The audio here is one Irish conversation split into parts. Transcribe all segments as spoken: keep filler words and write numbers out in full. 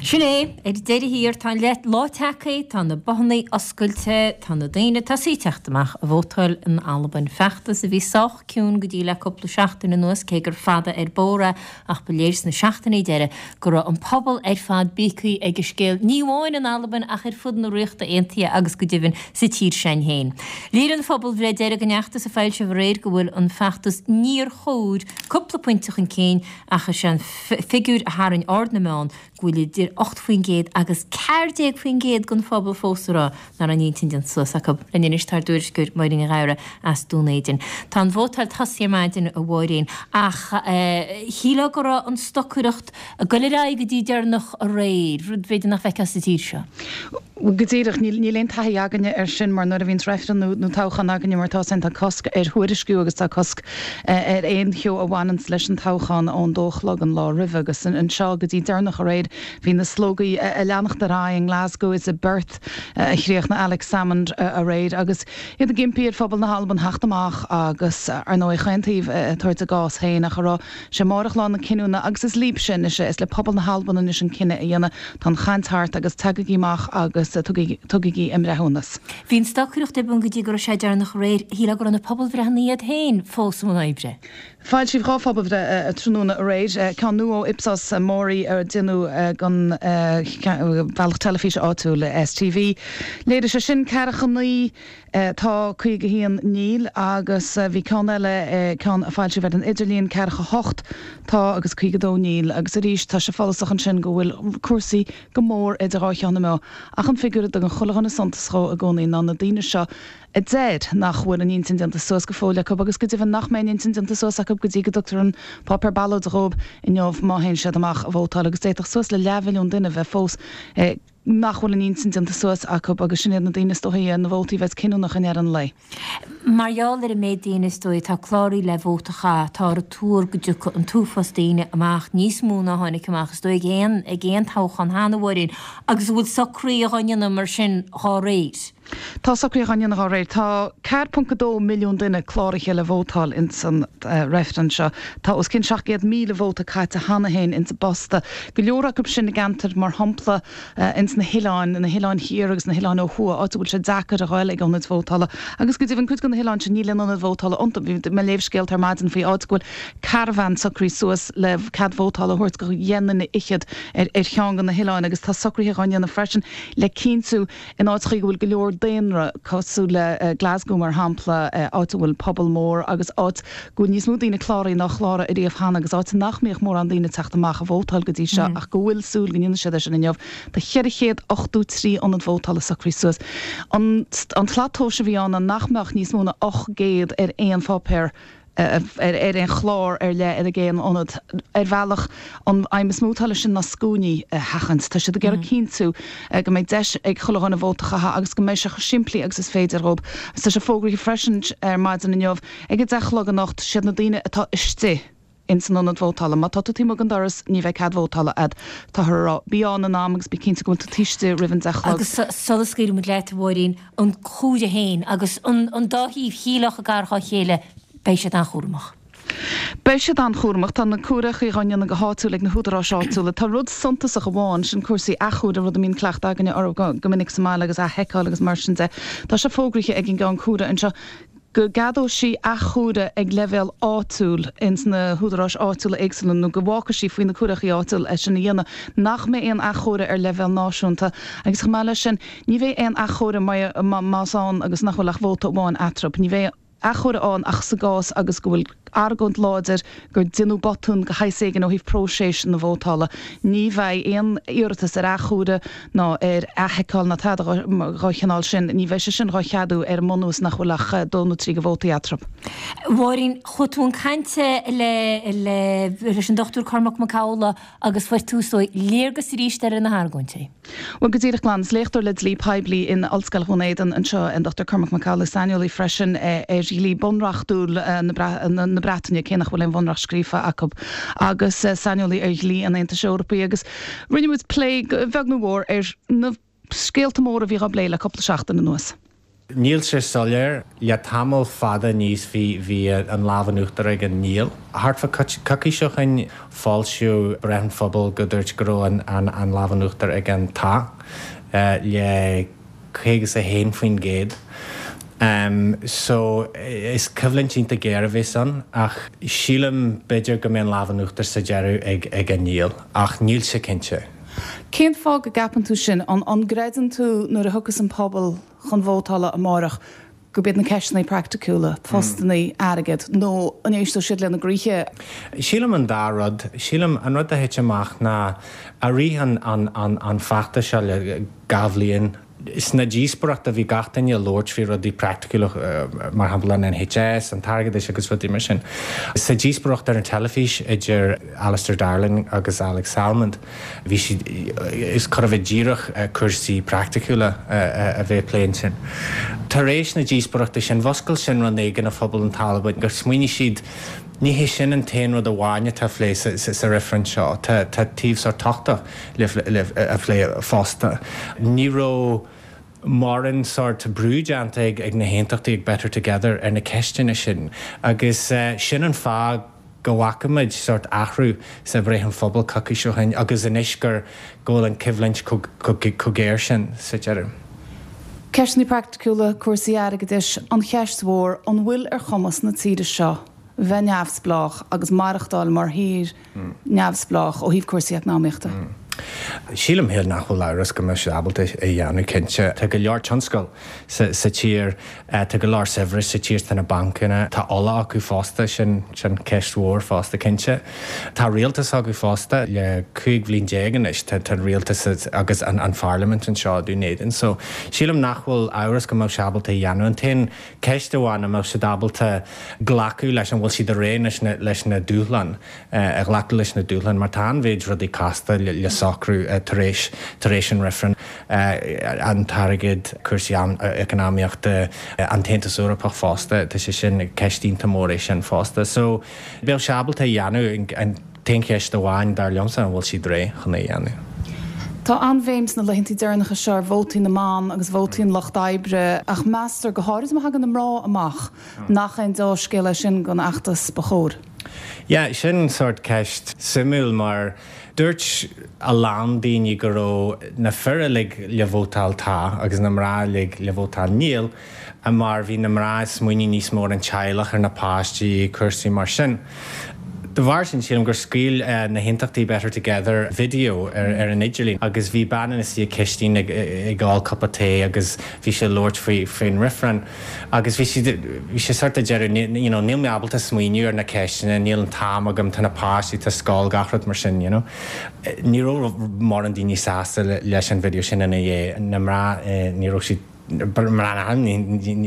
Sin é, ar deireadh thiar, tá an lá tagtha, tá na bothanna oscailte, tá na daoine tosaithe ag teacht amach a vótáil in Albain. Feachtas a bhí sách ciúin go dtí le cúpla seachtain anuas, cé gur fada ar bóthar é, ach ba léir sna seachtainí deiridh go raibh an pobal ar fad bíogtha ag an scéal, ní amháin in Albain ach ar fud na Ríochta Aontaithe agus go deimhin sa tír sin féin. Léirigh an phobalbhreith deiridh den fheachtas a foilsíodh aréir go bhfuil an feachtas Níor Chóir cúpla pointe chun cinn ach is é an figiúr a tharraing aird na meán go bhfuil idir ocht faoin gcéad agus ceathair déag faoin gcéad den phobal fós ag rá nach raibh a n-intinn déanta suas acu. Linn anois tá ár dtuairisceoir Máirín Ní Ghadhra as Dún Éideann. Tá an vótáil tosaithe ar maidin, a Mháirín, ach shílfeá go raibh an stocaireacht ag goil ar aghaidh go dtí deireanach aréir, rud b'fhéidir nach bhfeicfeá sa tír seo. Go díreach, níl aon taithí againne air sin mar nuair a bhíonns reifreann nó toghchán againne mar atá ann tá cosc ar thuairisciú agus tá cosc ar aon cheo a bhaineanns leis an toghchán ón dó a chlog an lá roimhe agus anseo go dtí deireanach aréir bhí na slógaí ag leanacht ar aghaidh i nGlasgow is i bPerth a chríochnaigh Alex Salmond aréir agus iad ag impí ar phobal na hAlban theacht amach agus ar ndóigh chaon taobh ag tabhairt a gcás féin ach a rá sé amárach lá na cinniúna agus is libhse anois é, is le pobal na hAlban anois an cinneadh a dhéanamh. Tá an chaint thart agus tagaigí amach agus tugaigí a mbreithiúnas. Bhí an stocaireacht ar bun go dtí go raibh sé deireanach aréir. Shílfeá go raibh na pobalbhreitheanna iad féin fós i mbun oibre. Foilsíodh dhá phobalbhreith tráthnóna aréir, ceann nua ó Ipsos Mori a déanadh don bhealach teilifíse áitiúil S T V. Léirigh sé sin ceathracha naoi tá, caoga haon níl agus bhí ceann eile, ceann a foilsíodh ar an idirlíon, ceathracha hocht tá agus caoga dó níl agus arís tá sé follasach ansin go bhfuil cúrsaí go mór idir dhá cheann na meá. Ach an figiúr a dtugann chuile dhuine suntas dhó i gcónaí ná na daoine seo a deir nach bhfuil a n-intinn déanta suas go fóill acu agus go deimhin nach mbeidh a n-intinn déanta suas acu go dtí go dtugtar an páipéar ballóide dhóibh inniu má théann siad amach a vótáil agus d'fhéadfadh suas le leathmhilliún duine bheith fós nach bhfuil a n-intinn déanta suas acu agus sin iad na daoine is dóichí na vótaí a bheas cinniúnach i ndeireadh an lae. Mar gheall ar an méid daoine is dóigh atá cláraithe le vóta a chaitheamh, táthar ag tuar go dtiocfaidh an t-uafás daoine amach, níos mó ná tháinig amach is dóigh ag aon ag aon toghchán cheana, a Mháirín, agus an bhfuil socruithe á ndéanamh mar sin dhá réir. Tá socruithe á ndéanamh dhá réir. Tá ceathair ponc a dó milliún duine cláraithe le vótáil ins an reifreann seo. Tá os cionn seacht gcéad míle vóta caite cheana féin ins an bposta. Go leor acu sin i gceantair, mar shampla ins na hoileáin, na hoileáin thiar agus na hoileáin ó thuaidh, áit a bhfuil sé deacair a ghoil ag ionaid vótála. Agus go deimhin cuid de na hoileáin sin níl aon ionad vótála iontu. Bhí mé ag léamh scéalta ar maidin faoi áit go bhfuil caravan socraithe suas le cead vótála a thabhairt go dheich nduine fhichead ar ar cheann de na hoileáin agus tá socruithe á ndéanamh freisin le cinntiú in áiteachaí go bhfuil go leor daonra, cosúil le Glasgow mar shampla, áit a bhfuil pobal mór agus áit go bhfuil níos mó daoine cláraithe ná chláraigh ariamh cheana agus áit nach mbíodh mórán daoine ag teacht amach a vótáil go dtí seo ach go bhfuil súil go ndéanfaidh siad é sin inniu. Tá ceithre chéad ochtó trí ionad vótála socraithe suas. An an tslat tomhais a bhí ann ná nach mbeadh níos mó ná ocht gcéad ar aon pháipéar ar ar aon chlár ar leith ag aon ionad. Ar bhealach, an aidhm is mó atá leis sin ná scuainí a sheachaint. Tá siad ag iarraidh cinntiú go mbeidh deis ag chuile dhuine vóta a chaitheamh agus go mbeidh sé chomh simplí agus is féidir dhóibh. Agus tá sé fógraithe freisin ar maidin inniu ag a deich a chlog anocht, siad na daoine atá istigh ins an ionad vótála. Má tá tú taobh amuigh den doras, ní bheidh cead vótála a'd. Táthar a rá, bí ann in am agus bí cinnte go bhfuil tú taobh istigh roimh an deich a chlog. Agus sula scaoilfidh muid leat, a Mháirín, an comhaireamh féin agus an dá thaobh, shílfeá gar dhá chéile, beidh siad an-chúramach. Beidh siad an-chúramach. Tá na comhaireachaí á ndéanamh go háitiúil ag na húdaráis áitiúla. Tá rud suntasach amháin, sin cúrsaí athchomhairimh, rud a mbíonn cleachtadh againne orthu go minic sa mbaile agus athsheiceáil agus mar sin de. Tá sé fógraithe ag an gceann comhairimh anseo go gceadóidh sí athchomhaireamh ag leibhéal áitiúil ins na húdaráis áitiúla éagsúla nó go bhfágfaidh sí faoi na comhaireachaí áitiúil é sin a dhéanamh, nach mbeidh aon athchomhaireamh ar leibhéal náisiúnta agus chomh maith leis sin ní bheidh aon athchomhaireamh más ann agus nach bhfuil ach vóta amháin eatarthu. Ní bheidh athchomhaireamh ann ach sa gcás agus go bhfuil argóint láidir gur deineadh botún de shaghas éigin ó thaobh próiseas na vótála. Ní bheidh aon iarratas ar athchomhaireamh ná ar athsheiceáil ná tada dá chineál sin, ní bheidh sé sin dhá cheadú ar an mbunús nach bhfuil ach dó nó trí de vótaí eatarthu. Mháirín, chuaigh tú chun cainte le leis an Dochtúir Cormac Mac Amhlaigh agus fuair tú is dóigh léargas arís ar na hargóintí. Bhuel, go díreach glan. Is léachtóir le dlí poiblí in Ollscoil Dhún Éideann anseo an Dochtúir Cormac Mac Amhlaigh, saineolaí freisin ar dhlí bunreachtúil na Breataine, cé nach bhfuil aon bhunreacht scríofa acu, agus saineolaí ar dhlí an Aontais Eorpaigh. Agus rinne muid plé, beag nó mór, ar na scéalta móra a bhí á bplé le cúpla seachtain anuas. Níl sé soiléir le tamall fada níos bhí bhí an lámh in uachtar ag an níl. Thart fá coicís ó shin foilsíodh breith an phobail go dúirt go raibh an, an, an lámh in uachtar ag an tá uh, le caoga a haon faoin gcéad. Um, so is coimhlint iontach géar a bheas ann ach sílim b'fhéidir go mbeidh an lámh in uachtar sa deireadh ag, ag an níl ach níl sé cinnte. Cén fáth go gceapann tú sin an an gcreideann tú nuair a thiocfas an pobal chun vótála amárach go mbeidh na ceisteanna praiticiúla, postanna airgead nó an éisteoidh siad lena gcroíthe. Sílim an dá rud, sílim an rud a thit amach ná i rith an, an, an, an feachtas seo le dhá bhliain sna díospóireachtaí bhí gach duine ag labhairt faoi rudaí praiticiúla mar shampla an NHS, an t-airgeadas agus rudaí mar sin. Sa díospóireacht ar an teilifís idir Alistair Darling agus Alex Salmond, bhí siad is chóir a bheith díreach cúrsaí praiticiúla a bheith plé sin. Tar éis na díospóireachta sin mhúscail sin rud éigin i bpobal na hAlban gur smaoinigh siad Ní hé sin an t-aon rud amháin atá phlé sa reifreann seo tá taobh sórt tábhachtach le a phlé fosta. Ní raibh mórán sórt brú déanta ag ag na haontachtaí ag Better Together ar na ceisteanna sin agus uh, sin an fáth go bhfaca muid sórt athrú sa bhreith an phobail coicís ó shin agus anois gur go bhfuil an choimhlint chomh géar sin sa deireadh. Ceisteanna praiticiúla cúrsaí airgeadais an cheist mhór an bhfuil ar chumas na tíre seo bheith neamhspleách agus maireachtáil mar thír neamhspleách ó thaobh cúrsaí eacnamaíochta. Mm. Sílim féin nach bhfuil amhras go mbeidh siad ábalta é a dhéanamh cinnte. Tá go leor tionscal sa, sa tír tá go leor saibhreas sa tír tá na bancanna Tá ola acu fosta sin sin ceist mhór fosta cinnte. Tá rialtas acu fosta le cúig bhliain déag anois tá tá rialtas agus an, an pharlaimint anseo Dún Éideann. So sílim nach bhfuil amhras go mbeidh siad ábalta a dhéanamh an t-aon ceist amháin an mbeidh siad ábalta glacadh leis an bhfuil siad réidh leis na, leis na dúshláin a ghlacadh leis na dúshláin mar tá an-mhéid rudaí casta le, le socrú tar éis tar éis an reifreann an t-airgead cúrsaí eacnamaíochta an tAontas Eorpach fosta tá sé sin ceist iontach mór é sin fosta. So beidh siad ábalta a dhéanamh an t-aon cheist amháin dar liomsa an bhfuil siad réidh chun é a dhéanamh. Tá an-bhéim sna laethanta deireanacha seo ar vótaí na mban agus vótaí an lucht oibre ach meastar go háirithe má thagann na mná amach nach aon dea-scéal é sin don fheachtas ba chóir. Ja, sin sórt ceist suimiúil mar dúirt a lán daoine go raibh na fir uilig le vótáil tá agus na mná uilig le vótáil níl, a mar bhí na mná smaoineamh níos mó an teaghlach ar na páistí cúrsaí mar sin. De bharr sin sílim gur scaoil uh, na haontachtaí Better Together video ar, ar an idirlíon agus bhí bean ina suí cistín ag, ag ól cupa tae agus bhí sé labhairt faoi faoin reifreann agus bhí sí bhí sé sórt ag deireadh you know, níl mé ábalta smaoineamh ar na ceisteanna, níl an t-am agam tá na páistí tá scoil gach rud mar sin, you know. Ní raibh mórán daoine sásta leis an video sin ina dhiaidh na mná eh, ní raibh siad mar ní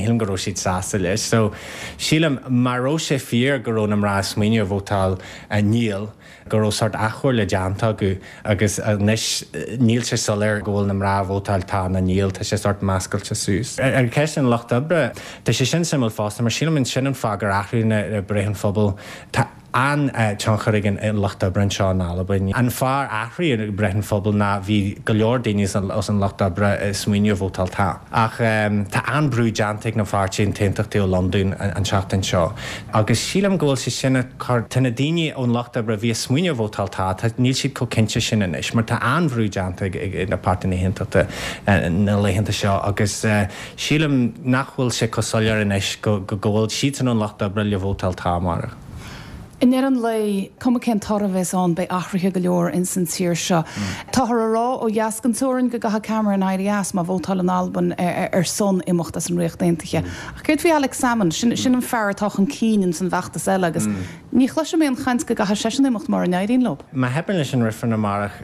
shílim go raibh siad sásta leis. So sílim mar raibh sé fíor go raibh na mná smaoineamh vótáil níl, go raibh sórt athchomhairle déanta acu agus anois níl sé soiléir go bhfuil na mná vótáil tá nó níl tá sé sórt meascailte suas. Ar ceist an lucht oibre Tá sé sin suimiúil fosta mar sílim sin an fáth gur athraigh na breith an phobail Tá an-tionchar ag an lucht oibre anseo in Albain. An fáth ar athraigh breith an phobail ná bhí go leor daoine as an lucht oibre smaoineamh vótáil tá. Ach um, tá an-bhrú déanta ag na páirtithe na hAontachtaí ó Londain an, an seachtain seo. Agus sílim go bhfuil sé sin tá na daoine ón lucht oibre bhí smaoineamh vótáil tá, tá níl siad chomh cinnte sin anois, mar tá an-bhrú déanta ag, ag na páirtithe na hAontachta na laethanta seo agus uh, sílim nach bhfuil sé chomh soiléir anois go, go, go bhfuil siad san an lucht oibre le vótáil tá mar. I ndeireadh an lae cuma cén toradh a bheas ann beidh athruithe go leor in san tír seo. Táthar á rá ó dheas den teorainn go gcaithfidh Cameron éirí as má vótálann Albain ar, ar son imeacht as an Ríocht Aontaithe. Ach céard faoi Alex Salmond sin, sin an fear atá chun cinn in san bhfeachtas eile agus ní chloisim aon chaint go gcaithfidh seisean imeacht mura n-éiríonn leo. Má theipeann leis an reifreann amárach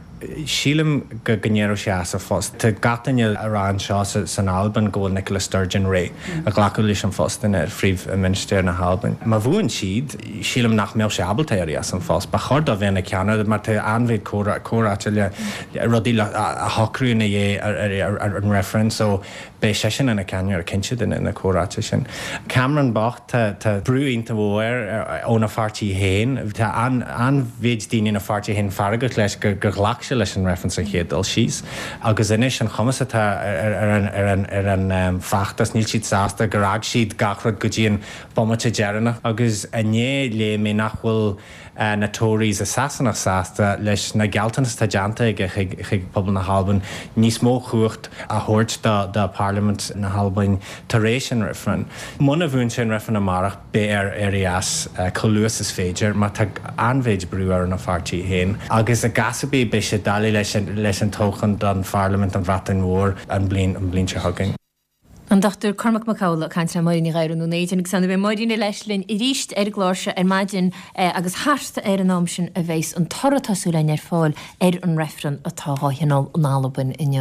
sílim go n-éireoidh sé as a phost. Tá gach duine ag rá anseo san Albain go bhfuil Nicola Sturgeon réidh a ghlacadh leis an phost ina phríomh-mhinistir na hAlban. Má bhuann siad sílim nach mbeadh sé ábalta éirí as an phost. Ba chóir dó bheith ina cheannaire mar tá an-mhéid comhráite le rudaí a shocrú ina dhiaidh ar an reifreann, so beidh seisean ina cheannaire cinnte de na comhráite sin. Cameron bocht tá brú iontach mór óna pháirtí féin, Tá an-mhéid daoine ina pháirtí féin feargach leis gur gur ghlac sé leis an reifreann sa chéad dul síos agus anois an chuma atá ar an feachtas níl siad sásta gur fhág siad gach rud go dtí an bomaite deireanach agus inné léigh mé nach bhfuil na Tories i Sasana sásta leis na gealltanais atá déanta aige chuig pobal na hAlban níos mó cumhacht a thabhairt do do Parliament na hAlban tar éis an reifreann. Muna bhuann sé an reifreann amárach beidh air éirí as chomh luath is féidir má tá an-mhéid brú ar an pháirtí féin. agus i gcás ar bith beidh sé doiligh leis leis an toghchán don Pharlaimint an Bhreatain Mhór an bliain an bliain seo chugainn. An Dr Cormac Mac Amhlaigh ag caint le Máirín Ní Ghadhra nó Éidin agus anna bheidh Máirín leis linn arís ar an gclár seo ar maidin agus thart ar an am sin a bheas an toradh tosúil ar fáil ar an reifreann atá á thionól in Albain inniu.